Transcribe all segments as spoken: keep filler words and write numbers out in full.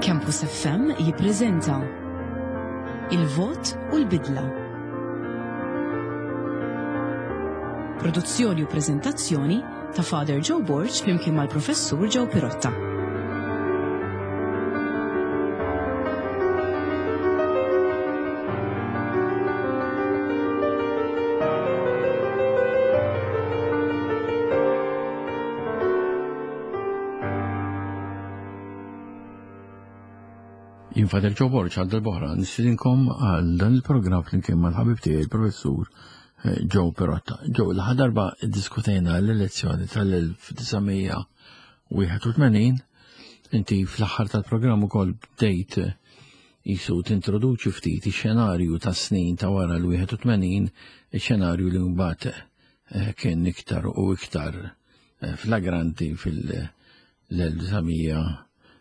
Campus F M jippreżenta Il-Vot u l-Bidla. Produzzjoni u preżentazzjoni ta' Father Joe Borg flimkien mal-Professur Joe Pirotta. Jien Father Joe Borg għal darb'oħra nistedinkom għal dan il-programm flimkien mal-ħabib tiegħi il-Professur Joe Pirotta. Joe, l-aħħar darba ddiskutejna l-elezzjoni tal-elf disa' mija wieħed u tmenin, inti fl-aħħar tal-programm ukoll bdejt jisu tintroduċi ftit ix-xenarju tas-snin ta' wara l-wieħed u tmenin, ix-xenarju li mbagħad, eh, kien iktar u iktar, eh, flagranti fil-elf disa' mija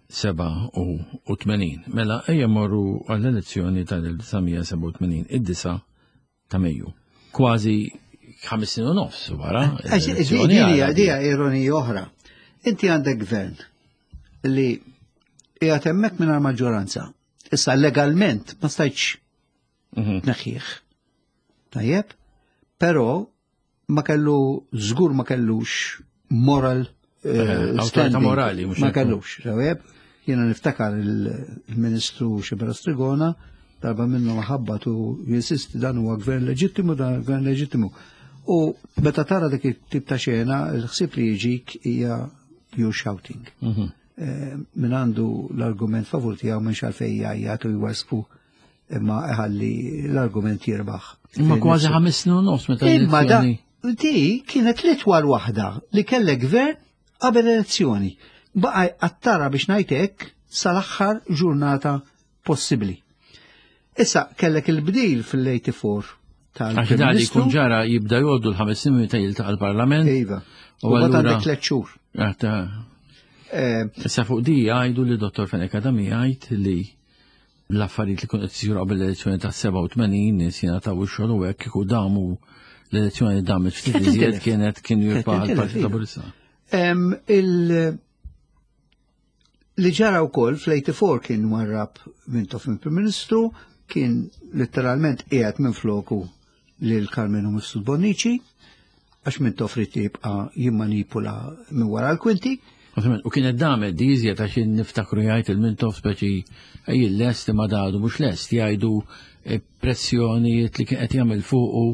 seba' u tmenin. Mela, ejja morru għall-elezzjoni tal-elf disa' mija seba' u tmenin, id-disa' ta' Mejju. Kważi ħames snin u nofs wara Għax, l-elezzjoni di-, di-, għal- dija ironija oħra. Inti għandek gvern li qiegħed hemmhekk mingħajr maġġoranza. Issa legalment ma stajtx Mhm. tneħħih. Tajjeb, però ma kellu, żgur ma kellux moral, eh, Eh, awtorità standing. morali, mhux Ma hekk. kellux, tajjeb. Jiena niftakar il-, il-Ministru Sciberras Trigona darba minnu maħabba tu jinsisti dan huwa gvern leġittimu, dan gvern leġittimu. U meta tara dik it-tip ta' xena, il-ħsieb li jiġik hija you're shouting. Mhm. Eh, min għandu l-argument favur tiegħu minn xalfej jgħajjat u jwasfu imma iħalli l-argument jirbaħ. Imma Fejn kważi nifsu. ħames snin u nofs meta Imma da l-elezzjoni. di kienet l-itwal waħda li kellek gvern qabel elezzjoni. Baqa' għattara biex ngħidlek sal-aħħar ġurnata possibbli. Issa kellek il-bdil fil-eighty-four tal-Prim Għax dan li Ministru. jkun ġara jibda jgħoddu l-ħames snin meta jiltaqa' l-Parlament. Iva. U U mbagħad allura għandek tliet xhur. Għata. Eh, Issa fuq di jgħidu li Dottor Fenech Adami jgħid li l-affarijiet li kienu qed isiru qabel l-elezzjoni ta' seba' u tmenin nies jingħataw ix-xogħol u hekk kieku damu l-elezzjoni damet ftit Kienet iżjed intilef. kienet kien Kienet jirbaħ intilef, il-Partit iva. Laburista. Em, il- li ġara wkoll fl-eighty-four kien warrab Mintoff minn Prim Ministru, kien letteralment qiegħed minn floku lil Karmenu Mifsud Bonnici, għax Mintoff ried jibqa' jimmanipula minn wara l-kwinti. Ovvjament, u kienet damet di iżjed għax niftakru jgħid il-Mintoff speċi ej lest imma dadu mhux lest jgħidu, eh, pressjonijiet li kien qed jagħmel fuqu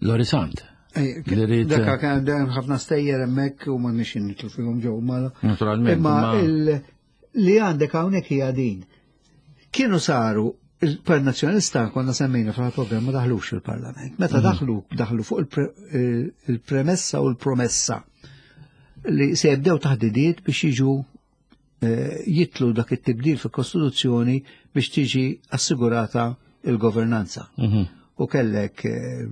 Lorry Sant. Ej, Li rrid, Dakka kien hemm ħafna stejjer hemmhekk u ma nixin nitlu fihom ġew mala. Naturalment, Imma imma il-, li għandek hawnhekk hija din. Kienu saru il-Partit Nazzjonalista konna semmejna fil-programm ma daħlux fil-Parlament. Meta Mhm. daħlu, daħlu fuq il-pre-, il-, il-premessa u l-promessa li se jibdew taħdidiet biex jiġu, eh, jitlu dak it-tibdil fil-Kostituzzjoni biex tiġi assigurata il-governanza. Mhm. U kellek, eh,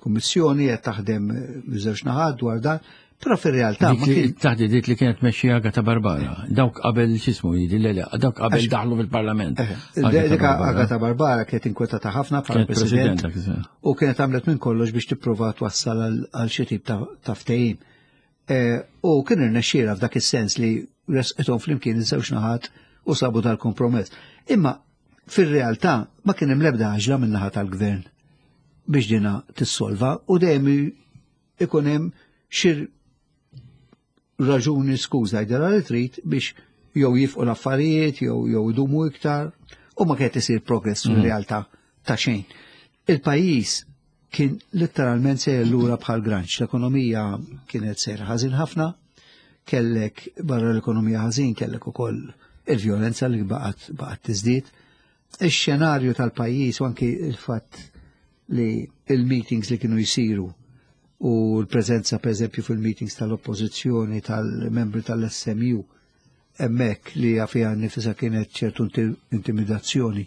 kummissjoni qed taħdem miż-żewġ naħat dwar dan, però fir-realtà Dik ma li kien taħdidiet li kienet mexxija Agata Barbara, dawk qabel x'ismu jidi, le, le, dawk qabel Għax daħlu fil-Parlament. Eh, Agata dik Barbara. Agata Barbara kienet inkwetata ħafna bħala Kienet president president, dak iż-żmien. u kienet għamlet minn kollox biex tipprova twassal għal, għal xi tip ta', ta' ftehim. Eh, u kien irnexxielha f'dak is-sens li resqithom flimkien iż-żewġ naħat u sabu dal-kompromess. Imma fir-realtà ma kien hemm l-ebda għaġla minn naħa tal-gvern biex dina tissolva u dejjem ikun hemm xi raġuni skuża jidher li trid biex jew jifqu l-affarijiet jew, jew idumu iktar u ma kienet isir progress Mhm. fir-realtà ta' xejn. Il-pajjiż kien letteralment sejjer lura bħal granċ. L-ekonomija kienet sejra ħażin ħafna, kellek barra l-ekonomija ħażin, kellek ukoll il-vjolenza li baqgħet, baqgħet tiżdied. Ix-xenarju tal-pajjiż u anki il-fatt li il-meetings li kienu jsiru u l-preżenza per eżempju fil-meetings tal-oppożizzjoni tal-membri tal-S M U hemmhekk li fiha nifisha kienet ċertu inti-, intimidazzjoni.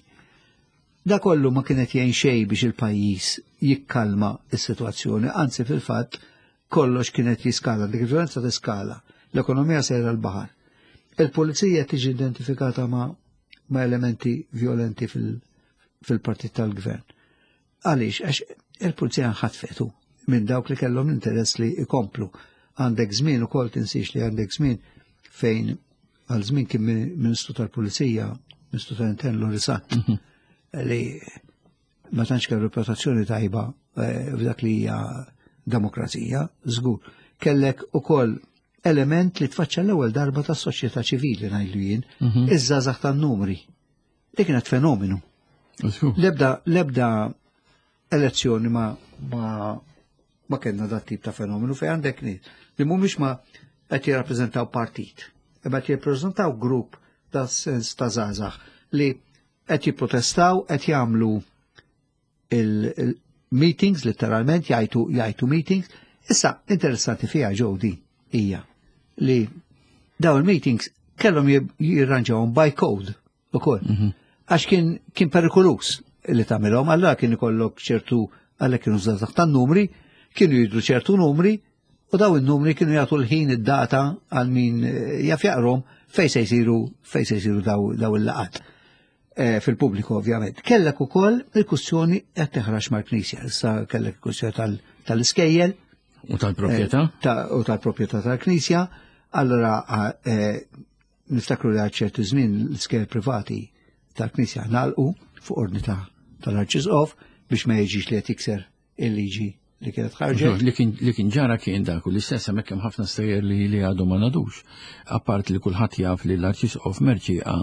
Da kollu ma kienet jgħin xejn biex il-pajjiż jikkalma s-sitwazzjoni, anzi fil-fatt kollox kienet jiskala, dik il-violenza tiskala, l-ekonomija sejra l-baħar. Il-pulizija tiġi identifikata ma, ma elementi violenti fil-, fil-partit tal-gvern. Għaliex, għax il-pulizija nħatfetu minn dawk li kellhom l-interess li ikomplu. Għandek żmien ukoll tinsiex li għandek żmien fejn għal żmien kien Ministru tal-Pulizija, Ministru tal-Intern Lorry Sant, mhm. li ma tantx kellu reputazzjoni tajba eh, f'dak li hija demokrazija, żgur. Kellek ukoll element li tfaċċa l-ewwel darba tas-soċjetà ċivili, ngħidlu jien, mhm. iż-żgħażagħ tan-numri. Dik kienet fenomenu. Lebda lebda elezzjoni ma ma ma kellna dat tip ta' fenomenu fejn għandek nies li mhumiex ma qed jirrappreżentaw partit, imma qed jirrappreżentaw grupp ta' sens ta' żgħażagħ li qed jipprotestaw, qed jagħmlu il-meetings, letteralment jgħajtu jgħajtu meetings. Issa, interessanti fiha ġewdi hija li dawn il-meetings kellhom jirranġawhom by code ukoll. Mhm. Għax kien kien perikolus li tagħmilhom, allura kien ikollok ċertu, għalhekk kienu żgħażagħ tan-numri, kienu jidru ċertu numri u daw il-numri kienu jagħtu l-ħin, id-data għal min eh, jaf jaqrom fej se jsiru fej se jsiru daw, daw il-laqat. E, fil-pubbliku ovvjament. Kellek ukoll il-kwistjoni qed teħrax mal-Knisja, issa kellek il-kwistjoni tal-iskejjel. U tal-proprjetà? Eh, u tal-proprjetà tal-Knisja. Allora niftakru li għal ċertu żmien l-iskejjel privati tal-Knisja nalqu fuq ordni tal-Arċisqof biex ma jiġix li qed jikser il-liġi li kienet ħarġet. Li kien ġara kien dak u l-istess hemmhekk hemm ħafna stejjer li li għadu ma nadux. Apart li kulħadd jaf li l-Arċisqof Mercieca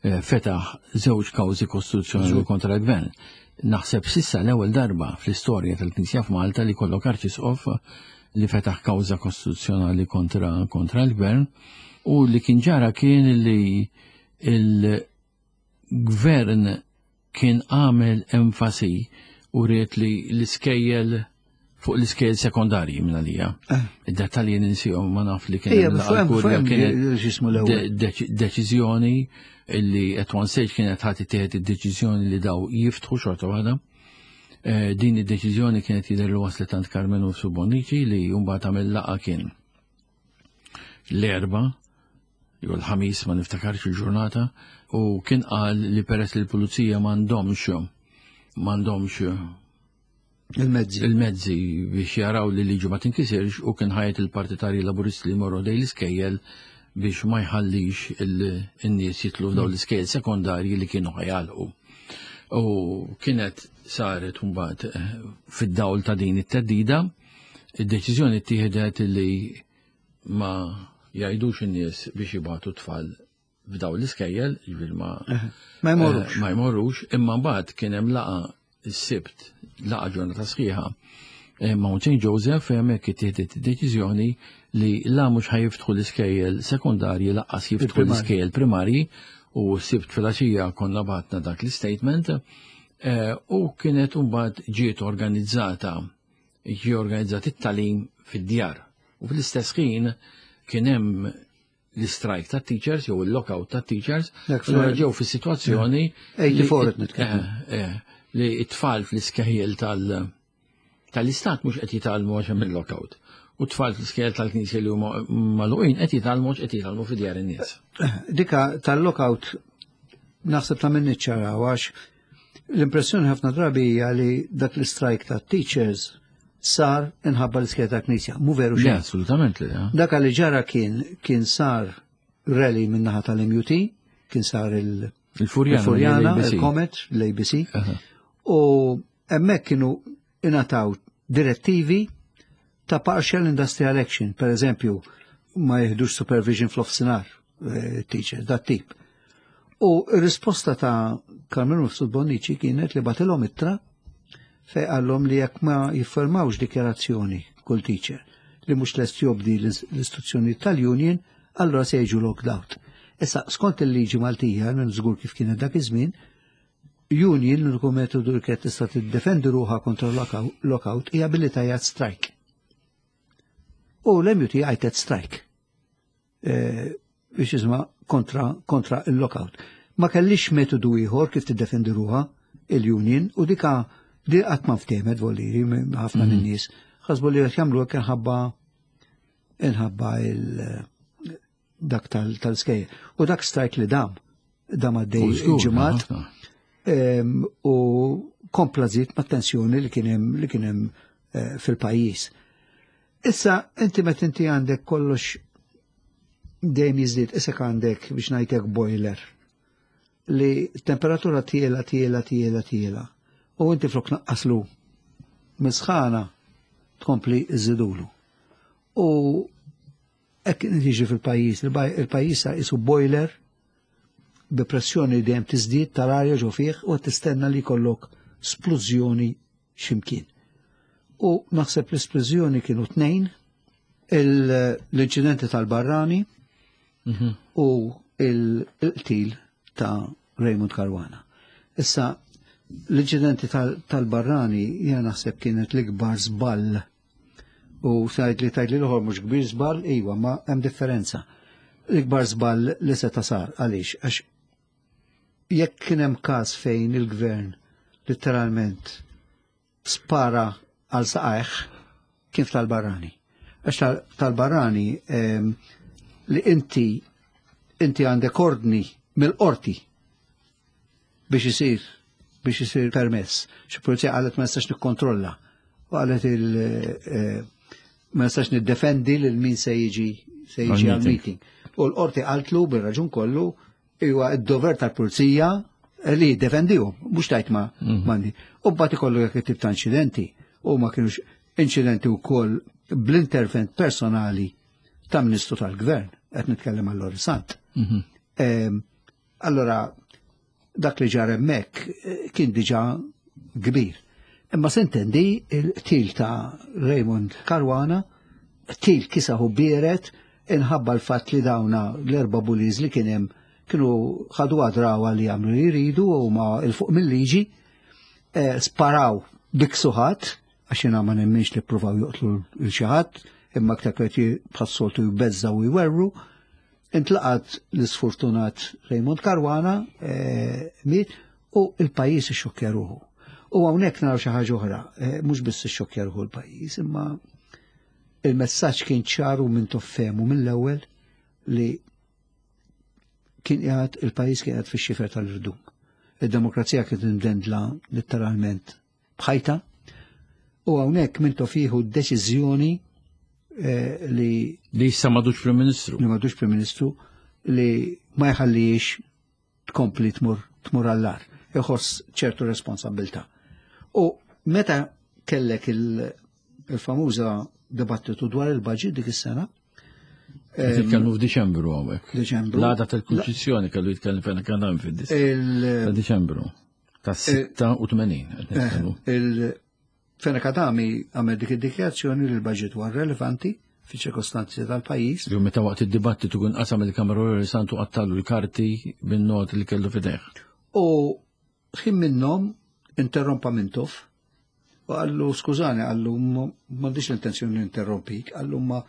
eh, fetaħ żewġ kawżi kostituzzjonali kontra l-gvern. Naħseb sissa l-ewwel darba fl-istorja tal-Knisja f'Malta li kollok Arċisqof li fetaħ kawża kostituzzjonali kontra kontra l-gvern, u li kien ġara kien li il-gvern kien għamel enfasi u ried li l-iskejjel fuq l-iskejjel sekondarji minn għalija. Eh. Id-dettalji ninsihom, ma naf li kien deċiżjoni illi at one stage kienet ħadd ittieħed id-deċiżjoni li daw jiftħu xorta waħda. Eh, din id-deċiżjoni kienet jidher li waslet għand Karmenu Bonnici, li mbagħad għamel laqgħa, kien l-Erbgħa jew l-Ħamis, ma niftakarx il-ġurnata, u kien qal li peress li l-pulizija m'għandhomx m'għandhomx il-mezzi. Il-mezzi biex jaraw li liġi ma tinkisirx, u kien ħa jgħid il-partitarji Laburisti li morru ħdejn l-iskejjel biex ma jħallix il-nies jitlu f'daw l-iskejjel sekondarji li kienu ħa jagħlqu. U kienet saret mbagħad eh, fid-dawl ta' din it-theddida, id-deċiżjoni ttieħdet li ma jgħidux in-nies biex jibagħtu tfal f'daw l-iskejjel, ġifieri ma Ma jmorrux. Eh, ma jmorrux, imma mbagħad kien hemm laqgħa s-Sibt, laqgħa ġurnata sħiħa eh, Mount Saint Joseph, fejn hemmhekk ittieħdet id-deċiżjoni li la mhux ħa jiftħu l-iskejjel sekondarji, lanqas jiftħu il-primarji. L-iskejjel primarji, u s-Sibt filgħaxija konna bagħatna dak l-statement eh, u kienet mbagħad ġiet organizzata ġie organizzat it-tagħlim fid-djar. U fl-istess ħin kien hemm l-strike ta' teachers jew il-lockout ta' teachers, Dak allura fl- ġew fis-sitwazzjoni tgħattifour li- nitkellmu. eh, eh, li t-tfal fl-iskejjel tal- tal-istat mhux qed jitgħallmu għax hemm il-lockout. U t-tfal fl-iskejjel tal-knisja li huma magħluqin qed jitgħallmu għax qed jitgħallmu fi djar in-nies. Dika tal-lockout naħseb ta' minn niċċaraw, għax l-impressjoni ħafna drabi hija li dak l-strike ta' teachers sar inħabba l-iskejjel ta' knisja. Mu veru Le, xejn. assolutament li. eh. Dak li ġara kien kien sar rally min-naħa tal-M U T, kien sar il- Il-Furjana. il-Furjana, l-A B C. il-Comet, l-A B C, Aha. u hemmhekk kienu ingħataw direttivi ta' partial industrial action, per eżempju, ma jihdux supervision fl-offsinar, eh, teacher, dat tip. U r-risposta ta' Karmenu Mifsud Bonnici kienet li bagħtilhom ittra fej qallhom li jekk ma jiffirmawx dikjarazzjoni kull teacher li mhux lest jobdi l-istruzzjoni tal-union, allora se jiġu locked out. Issa, skont il-liġi Maltija, minn żgur kif kienet dak iż-żmien, union l-uniku metodu li kienet tista' tiddefendi ruħha kontra lockout lockout hija billi tgħajjat strike. U l-M U T għajtet strike. Eh, biex jisma kontra, kontra il-lockout. Ma kellix metodu ieħor kif tiddefendi ruħha il-union, u dika di qatt ma ftehmet voliri ħafna minn nies. Ħasbu li qed jagħmlu hekk inħabba inħabba il dak tal- tal-skejjel. U dak strike li dam, dam għaddej U żgur, ġimgħat ħafna. em, u kompla żied ma' tensjoni li kien hemm li kien hemm eh, fil-pajjiż. Issa inti meta inti għandek kollox dejjem jiżdied, isek għandek biex ngħidlek boiler li temperatura tiela, tiela, tiela, tiela. U inti flok naqqaslu misħana tkompli iżidulu. U hekk jiġi fil-pajjiż, il-pajjiż isu boiler bi pressjoni dejjem tiżdied tal-arja ġo fih u tistenna li jkollok splużjoni x'imkien. U naħseb l-isplużjoni kienu tnejn, l-inċidenti tal-Barrani u il-qtil ta' Raymond Caruana. Issa, l-inċidenti tal-Barrani jena naħseb kienet l-ikbar żball. U sajt li tajt li l-oħor mhux kbir żball, iwa, ma hemm differenza. L-ikbar żball li seta' sar, għaliex? Għax jekk kien hemm każ fejn il-gvern letteralment spara għal saqajh, kien tal-Barrani. Għax tal-Barrani li inti inti għandek ordni mill-qorti biex isir biex isir permess. Xi pulizija qalet ma nistax nikkontrolla. U qalet il ma nistax niddefendi lil min se jiġi se jiġi għal-meeting. U l-qorti qaltlu bir-raġun kollu huwa d-dover tal-pulizija li jiddefendihom, mhux tajt ma mandi. U mbagħad ikollu jekk tip ta' inċidenti u ma kienux inċidenti wkoll bl-intervent personali ta' ministru tal-gvern, qed nitkellem għal Lorry Sant. Allora, dak li ġar hemmhekk kien diġà kbir. Imma s'intendi il-qtil ta' Raymond Caruana, qtil kisaħu bieret inħabba l-fatt li dawna l-erba' bullies li kien hemm kienu ħadu għadrawa li jagħmlu li jridu u ma il-fuq mill-liġi, sparaw biksuħat, għax jiena ma nemminx li ppruvaw joqtlu l xi ħadd, imma aktar qed bħas-soltu jbeżżaw u jwerru. Intlaqat l-isfortunat Raymond Caruana miet u il-pajjiż ixxokkja ruħu. U hawnhekk naraw xi ħaġa oħra, mhux biss ixxokkja ruħu l-pajjiż, imma il-messaġġ kien ċaru minn toffemu mill-ewwel li kien qiegħed il-pajjiż kien qiegħed fix-xifer tal-irdum. Id-demokrazija kienet imdendla letteralment bħajta u hawnhekk Mintoff jieħu d-deċiżjoni li li issa m'għadux Prim Ministru. Li m'għadux Prim Ministru li ma jħallix tkompli tmur tmur għall-ar, iħoss ċertu responsabilità. U meta kellek il-famuża dibattitu dwar il-budget dik is-sena, Nitkellmu f'Diċembru hawnhekk. Diċembru. L-għada tal-Kunċizzjoni kellu jitkellem fejn kien hemm fid-Diċembru. Diċembru. Ta' sitta u tmenin qed nitkellmu. Il-Fenech Adami għamel dik id-dikjarazzjoni li l-budget huwa relevanti fi ċirkostanzi tal-pajjiż. Jew meta waqt id-dibattitu kien qasam il-Kamra Lorry Sant u qattallu l-karti bin-not li kellu f'idejh. U ħin minnhom interrompa Mintoff u qallu skużani, qallu m'għandix l-intenzjoni ninterrompik, qallu ma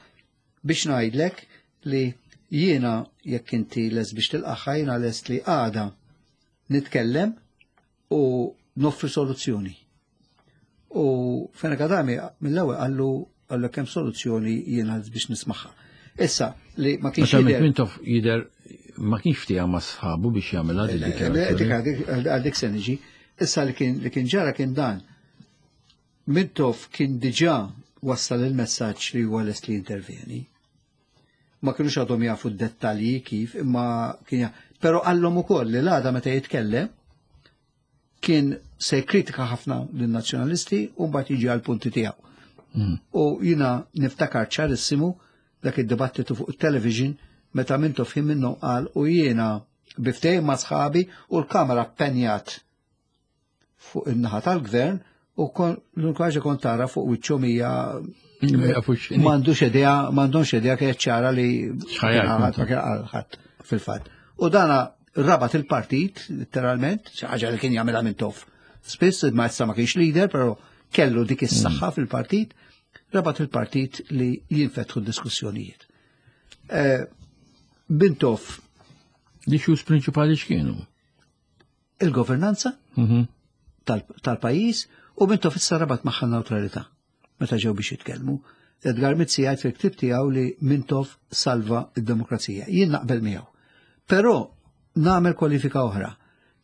biex ngħidlek li jiena jekk inti lest biex tilqaħħa jiena lest li għada nitkellem u noffri soluzzjoni. U Fenech Adami mill-ewwel qallu qallu kemm soluzzjoni jiena biex nismaħħa. Issa li ma kienx jidher Mintoff jidher ma kienx ftieha ma' sħabu biex jagħmilha dik id-dikjarazzjoni. Għal dik se niġi. Issa li kien li kien ġara kien dan. Mintoff kien diġà wassal il-messaġġ li huwa lest li jintervjeni. Ma kienux għadhom jafu d-dettalji kif, imma kien però qallhom ukoll li l-għada meta jitkellem kien se jkritika ħafna lin-nazzjonalisti u mbagħad jiġi għall-punti tiegħu. U jiena niftakar ċarissimu dak id-dibattitu fuq it-television meta Mintoff ħin minnhom qal u jiena biftejn ma' sħabi u l-kamera ppenjat fuq in-naħa tal-gvern u l-unika ħaġa kont tara fuq wiċċhom hija m'għandux idea, m'għandhomx idea kienet ċara li ħadd ma kien qal ħadd fil-fatt. U dana rabat il-partit, letteralment, xi ħaġa li kien jagħmilha Mintoff. Spiss ma issa ma kienx leader, però kellu dik is-saħħa fil-partit, rabat il-partit li jinfetħu d-diskussjonijiet. Mintoff. L-issues prinċipali x'kienu? Il-governanza tal-pajjiż u Mintoff issa rabat magħha neutralità meta ġew biex jitkellmu. Edgar Mizzi jgħid fil-ktib tiegħu li Mintoff salva d-demokrazija. Jien naqbel miegħu. Però nagħmel kwalifika oħra.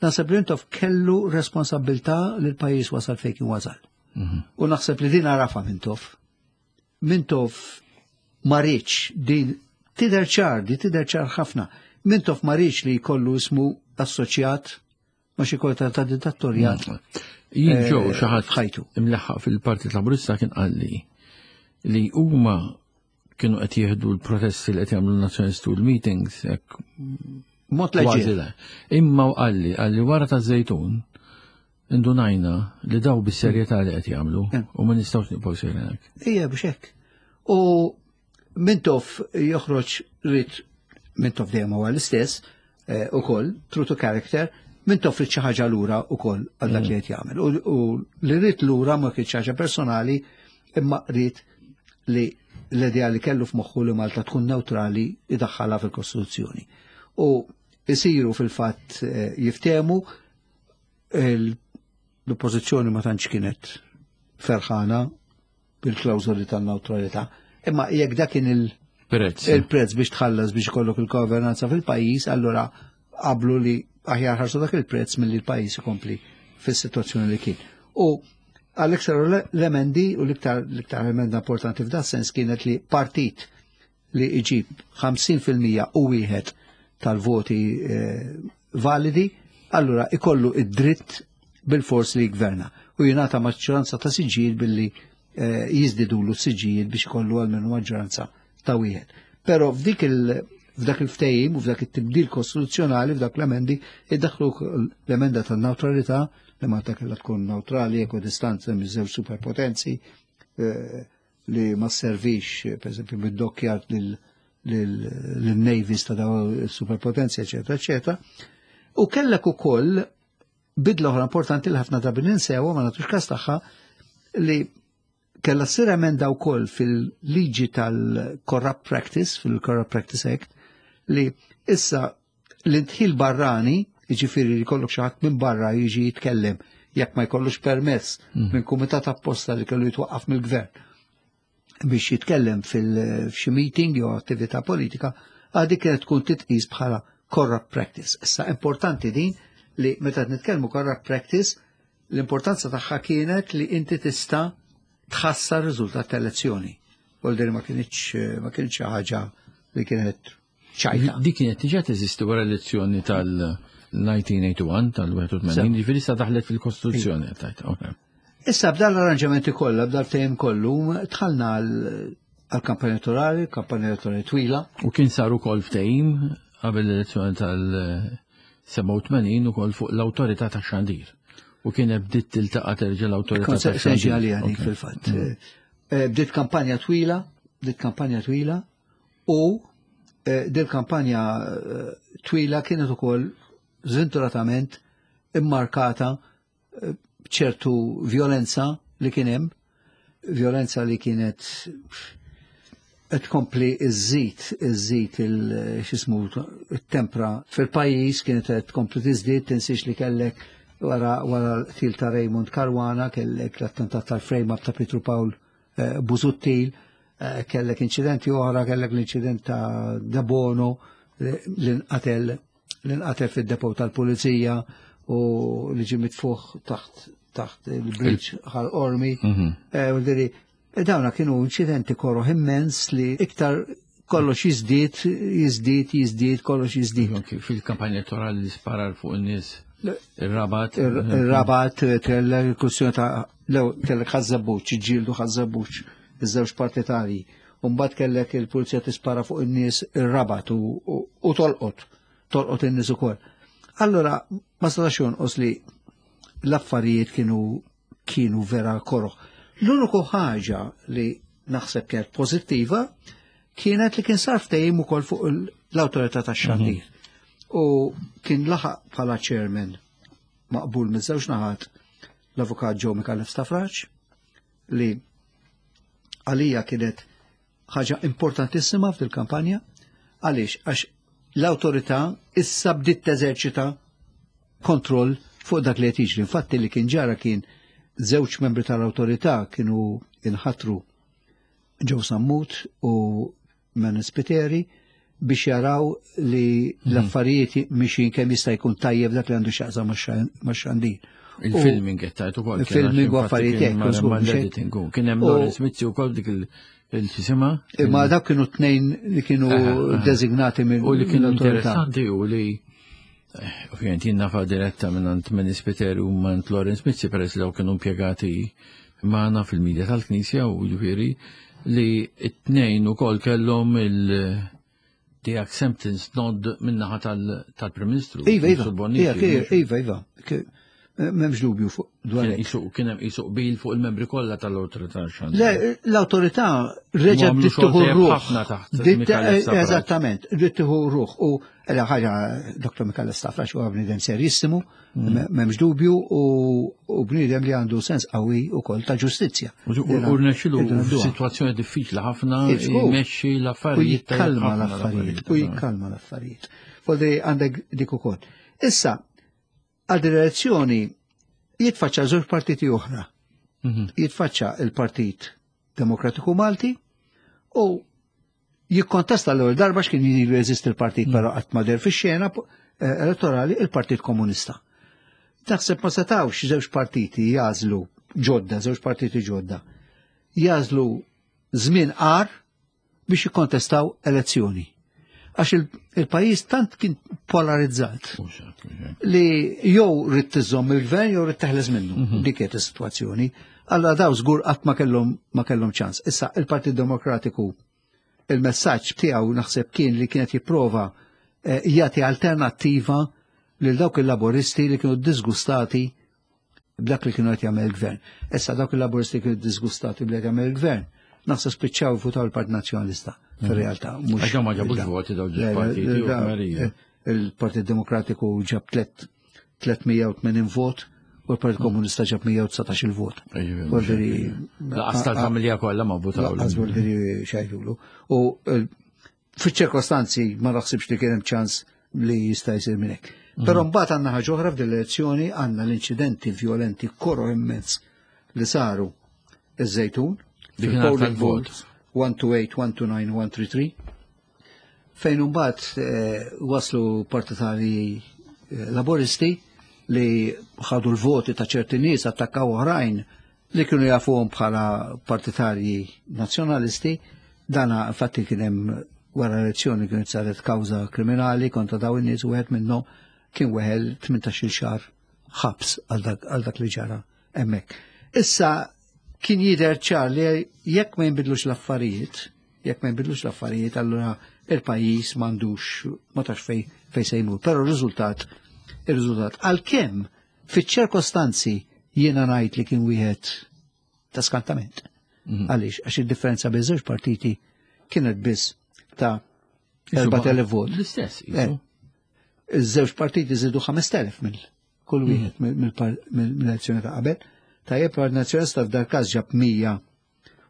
Naħseb li Mintoff kellu responsabilità li l-pajjiż wasal fejn kien wasal. U naħseb li din għarafa Mintoff. Mintoff ma riedx din Tidher ċar, di tidher ċar ħafna. Mintoff ma riedx li jkollu ismu assoċjat ma xi korta ta' dittatorjat. Jien ġew eh, xi ħadd f'ħajtu. imlaħħaq fil-Partit Laburista kien qalli li huma kienu qed jieħdu l-protesti li qed jagħmlu n-nazzjonisti u l-meetings hekk Mod kważi leġir. le. Imma u qalli qalli wara ta' żejtun indunajna li daw bis-serjetà li qed jagħmlu Mm. u ma nistgħux nibqgħu sejrin hekk. Ija biex hekk. U Mintoff joħroġ rid Mintoff dejjem huwa l-istess eh, ukoll, true to character, Mintoff rid xi ħaġa lura ukoll għal dak li qed jagħmel. U, u li rid lura ma kienx ħaġa personali, imma rid li l-idea li kellu f'moħħu li Malta tkun neutrali idaħħalha fil-Kostituzzjoni. U isiru fil-fatt eh, jiftehmu il- l-oppożizzjoni ma tantx kienet ferħana bil-klawżoli tan-neutralità. Imma jekk dak kien il- Prezz. il-prezz biex tħallas biex ikollok il-governanza fil-pajjiż, allura qablu li aħjar ħarsu dak il-prezz milli l-pajjiż ikompli fis-sitwazzjoni li kien. U għalhekk saru l-emendi u l-iktar l-iktar emenda importanti f'dan sens kienet li partit li iġib ħamsin fil-mija u wieħed tal-voti eh, validi, allura ikollu id-dritt bil-fors li jgverna u jingħata maġġoranza ta' siġġijiet billi eh, jiżdidulu siġġijiet biex ikollu għalmenu maġġoranza ta' wieħed. Però f'dik il f'dak il-ftehim u f'dak it-tibdil kostituzzjonali, f'dak l-emendi, iddaħlu l-emenda tan-neutralità li Malta kellha tkun neutrali, ekwidistanza miż-żewġ superpotenzi, eh, li ma servix, per esempio, bid-dockyard lil-navies ta' daw superpotenzi, eccetera, eccetera. U kellek ukoll bidla oħra importanti li ħafna drabi ninsewa, ma nagħtux kas tagħha, li kella ssir emenda wkoll fil-liġi tal-Corrupt Practice, fil-Corrupt Practice Act, li issa l-indħil barrani, jiġifieri li jkollok xi ħadd minn barra jiġi jitkellem jekk ma jkollux permess minn kumitat apposta li kellu jitwaqqaf mill-gvern biex jitkellem fil-xi meeting jew attività politika, għadi kienet tkun titqis bħala corrupt practice. Issa importanti din li meta nitkellmu corrupt practice, l-importanza tagħha kienet li inti tista' tħassar riżultat ta' elezzjoni. Vuol ma kienx ma kienx xi ħaġa li kienet ċajta. Di kienet diġà teżisti wara l-elezzjoni tal-elf disa' mija u wieħed u tmenin, tal-wieħed u tmenin, ġifieri sa daħlet fil-Kostituzzjoni. Tajt, ok. Issa b'dal l-arranġamenti kollha, b'dal ftehim kollu, dħalna għal-kampanja elettorali, kampanja elettorali twila. U kien saru kol ftehim qabel l-elezzjoni tal-sebgħa u tmenin ukoll fuq l-awtorità tax-xandir. U kien bdiet tiltaqa' terġa' l-awtorità Kont se tax-xandir. nġi għalija dik Ok. fil-fatt. Eh, Bdiet kampanja twila, bdiet kampanja twila u eh, dil kampanja eh, twila kienet ukoll żventuratament immarkata eh, b'ċertu violenza li kien hemm, violenza li kienet qed tkompli iżżid iżżid il x'ismu it-tempra fil-pajjiż, kienet qed tkompli tiżdied. Tinsiex li kellek wara wara l-qtil ta' Raymond Caruana kellek l-attentat tal-frame up ta' Pietru Pawl eh, Busuttil, eh, kellek inċidenti oħra, kellek l-inċident ta' Debono li li nqatel li nqatel fid-depot tal-pulizija u li ġie mitfuħ taħt taħt il-bridge Ħal Qormi. Eh, u diri, e dawna kienu inċidenti koroh immens li iktar kollox jiżdied, jiżdied, jiżdied, kollox jiżdied. Ok, fil-kampanja elettorali li sparar fuq in-nies ir-Rabat. Il-Rabat, kellek il-kwestjoni ta' lew kellek Ħaż-Żebbuġ, ġġieldu Ħaż-Żebbuġ, iż-żewġ partitari. Umbagħad kellek il-pulizija tispara fuq in-nies ir-Rabat u, u, u tolqot, tolqot in-nies ukoll. Allora, ma setax jonqos li l-affarijiet kienu kienu vera koroh. L-uniku ħaġa li naħseb kienet pożittiva kienet li kien sar ftehim ukoll fuq l-awtorità tax-xandir. U kien laħaq bħala chairman maqbul miż-żewġ naħat l-avukat Joe Micallef Stafrace, li għalija kienet ħaġa importantissima fil-kampanja. Għaliex? Għax l-awtorità issa bdiet teżerċita kontroll fuq dak li qed jiġri. Infatti li kien ġara kien żewġ membri tal-awtorità kienu inħatru, Joe Sammut u Manus Spiteri, biex jaraw li l-affarijiet mixin kemm jista' jkun tajjeb dak li għandu x'jaqsam max-xandir. Il-filming qed tajt ukoll. Il-filming u affarijiet hekk, żgur, mhux hekk? L-editing. Kien hemm U- Lawrence Mizzi wkoll dik Il-xisima? Imma dak kienu tnejn li kienu designati minn. U li kienu interessanti u li eh, ovvijament jien nafa diretta minn għand Manny Spiteri u minn Lawrence Mizzi, peress li kienu impjegati magħna fil-medja tal-Knisja, u ġifieri li t-tnejn ukoll kellhom il- the acceptance nod minnaħa tal-Prim Ministru. Iva, iva, iva, iva, m'hemmx dubju fuq dwar. Kien hemm qisu qbil fuq il-membri kollha tal-awtorità. Le, l-awtorità reġa' bdiet tieħu ruħ. Eżattament, bdiet tieħu ruħ u ela ħaġa Doktor Micallef Stafrace huwa bniedem serissimu, m'hemmx dubju, u bniedem li għandu sens qawwi wkoll ta' ġustizzja. U rnexxilu f'sitwazzjoni diffiċli ħafna jmexxi l-affarijiet. U jikkalma l-affarijiet, u jikkalma l-affarijiet. Fodri għandek dik ukoll. Issa, għal direzzjoni jitfaċċa żewġ partiti oħra. Jitfaċċa il-Partit Demokratiku Malti u jikkontesta l-ewwel darba x'kien ilu jeżisti l-partit, però qatt ma deher fix-xena elettorali, il-Partit Komunista. Taħseb ma setawx żewġ partiti jażlu ġodda, żewġ partiti ġodda, jażlu żmien qar biex jikkontestaw elezzjoni. Għax il-pajjiż tant kien polarizzat li jew rrid tiżomm il-gvern jew rrid teħles minnu. Dik kienet is-sitwazzjoni. Allura daw żgur qatt ma kellhom ma kellhom ċans. Issa il-Partit Demokratiku il-messaġġ tiegħu naħseb kien li kienet jipprova jagħti alternattiva lil dawk il-laboristi li kienu disgustati b'dak li kienu qed jagħmel il-gvern. Issa dawk il-laboristi kienu disgustati b'dak jagħmel il-gvern. Naħseb spiċċaw votaw il-Partit Nazzjonalista fir-realtà. Għax ma ġabux voti daw partiti. Il-Partit Demokratiku ġab tliet mija u tmenin vot u l-Partit Komunista ġab mija u dsatax il-vot. Laqas tal-familja kollha ma votaw. Laqas voldiri xajdulu. U fiċ-ċirkostanzi ma naħsibx li kien hemm ċans li jista' jsir minn hekk. Però mbagħad għandna ħaġa oħra f'din l-elezzjoni, għandna l-inċidenti violenti koro immens li saru iż-Żejtun. Fil-polling votes one two eight, one two nine, one three three, fejn imbagħad waslu partitari laboristi li ħadu l-voti ta' ċerti nies, attakkaw oħrajn li kienu jafuhom bħala partitarji nazzjonalisti. Dana infatti kien hemm wara l-elezzjoni kienet saret kawża kriminali kontra daw in-nies, u wieħed minnhom kien weħel tmintax-il xahar ħabs għal dak li ġara hemmhekk. Issa kien jidher ċar li jekk ma jinbidlux l-affarijiet, jekk ma jinbidlux l-affarijiet, allura il-pajjiż m'għandux ma tax fej fej se jmur. Però r-riżultat, ir-riżultat għalkemm fiċ-ċirkostanzi jiena ngħid li kien wieħed ta' skantament. Għaliex, għax id-differenza bejn żewġ partiti kienet biss ta' erbat elef vot. L-istess, isu. Iż-żewġ partiti żiedu ħamest elef mill kull wieħed mill-elezzjoni ta' qabel. Tajjeb, Partit Nazzjonalista f'dal każ ġab mija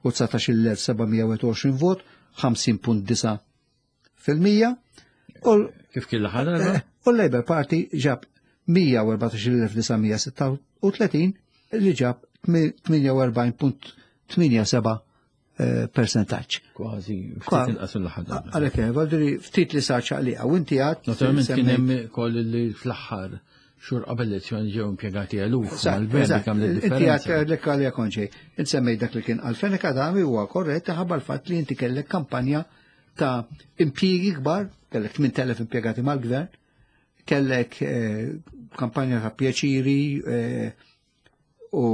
u dsatax il elf seba' mija u għoxrin vot, ħamsin punt disa' fil-mija. Kif kien l-aħħar darba? U l-Labour Party ġab mija u erbatax il elf disa' mija sitta u tletin li ġab tminja u erbgħin punt tminja seba' percentaġġ. Kważi ftit inqas mill-aħħar darba. Għalhekk, Valdiri, ftit li sar ċaqliqa, u inti għad Naturalment kien hemm ukoll li fl-aħħar xhur qabel l-elezzjoni ġew impjegati eluf mal-gvern dik għamlet differenza. Inti għad lek għalija konġej, insemmej dak li kien għal Fenech Adami huwa korrett ħabba l-fatt li inti kellek kampanja ta' impjiegi kbar, kellek tmien elef impjegati mal-gvern, kellek kampanja ta' pjaċiri u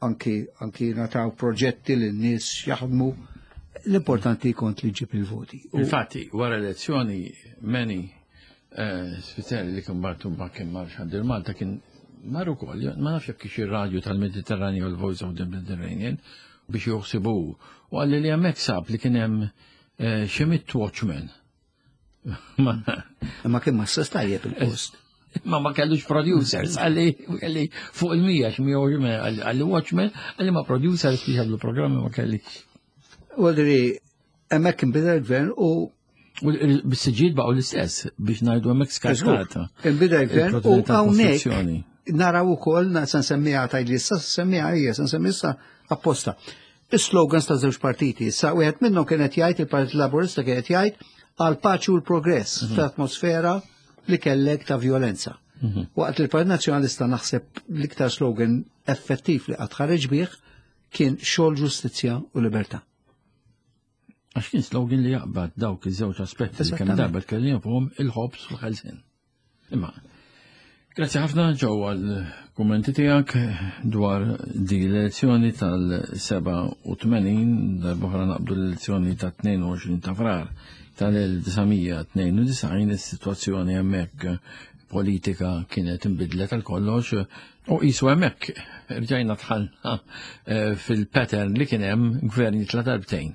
anki anki nataw proġetti li n-nies jaħdmu. L-importanti kont li ġib il-voti. Infatti, wara l-elezzjoni Manny Spiteri li kien bartu kien mar Xandir Malta kien mar ukoll, ma nafx jekk kiex ir-radju tal-Mediterranju u l-Voice of the Mediterranean biex joħsibu, u qalli li hemmhekk sab li kien hemm xi mitt watchman. Ma kien ma stess tajjeb il-post. Ma ma kellux producers, għalli għalli fuq il-mija, x'mija u x'mija, għalli watchman, għalli ma producers biex jagħmlu programmi ma kellix. Għaldri, hemmhekk kien bida l-gvern u U bis-siġijiet baqgħu l-istess biex ngħidu hemmhekk skartata. Inbida l-gvern u hawnhekk naraw ukoll, se nsemmiha tgħidli issa, se nsemmiha hija, se nsemmiha issa apposta. Is-slogans ta' żewġ partiti, issa wieħed minnhom kien qed jgħid, il-Partit Laburista kien qed jgħid għal paċi u l-progress fl-atmosfera li kellek ta' violenza. Waqt li l-Partit Nazzjonalista naħseb l-iktar slogan effettiv li qatt ħareġ bih kien xogħol, ġustizzja u libertà. Għax kien slogan li jaqbad dawk iż-żewġ aspetti li kemm darba tkellimna fuqhom, il-ħobż u l-ħelsien. Imma grazzi ħafna, Joe, għal kummenti tiegħek dwar di l-elezzjoni tal-sebgħa u tmenin. Darb'oħra naqbdu l-elezzjoni ta' tnejn u għoxrin ta' Frar tal-elf disa' mija tnejn u disgħin. Is-sitwazzjoni hemmhekk politika kienet inbidlet għal kollox u qisu hemmhekk rġajna dħalna eh, fil-pattern li kien hemm gvern jitla' darbtejn.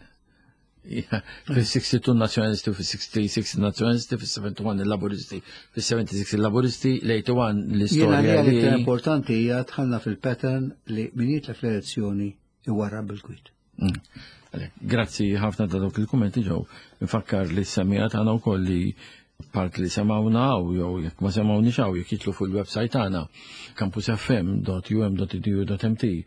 Fil-sixty-two nazjonalisti, fil-sixty-six nazjonalisti, fil-sebgħa u sebgħin il-laburisti, fil-sebgħa u sebgħin il-laburisti, l-erbgħa u wieħed Jiena l-istorja li li importanti hija dħalna fil-pattern li min jitla fl-elezzjoni iwarrab bil-kwit. Mm. Għalhekk, grazzi ħafna ta' dawk il-kummenti, Joe. Nfakkar li s-semmiegħa tagħna wkoll li part li semawna għaw, jew jekk ma semawni xaw, jekk jidħlu fuq il-website tagħna campusfm dot u m dot e d u dot m t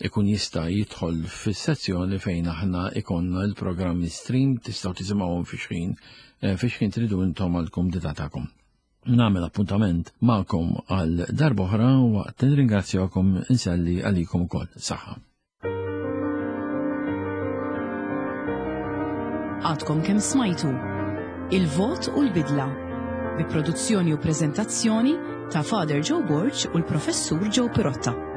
ikun jista' jidħol fis-sezzjoni fejn aħna ikonna l-programmi stream, tistgħu tisimgħuhom fi xħin eh, fi xħin tridu intom għall-kumdità tagħkom. Nagħmel appuntament magħkom għal darb'oħra waqt nirringrazzjakom, inselli għalikom ukoll. Saħħa. Għadkom kemm smajtu Il-Vot u l-Bidla bi produzzjoni u prezentazzjoni ta' Father Joe Borg u l-Professur Joe Pirotta.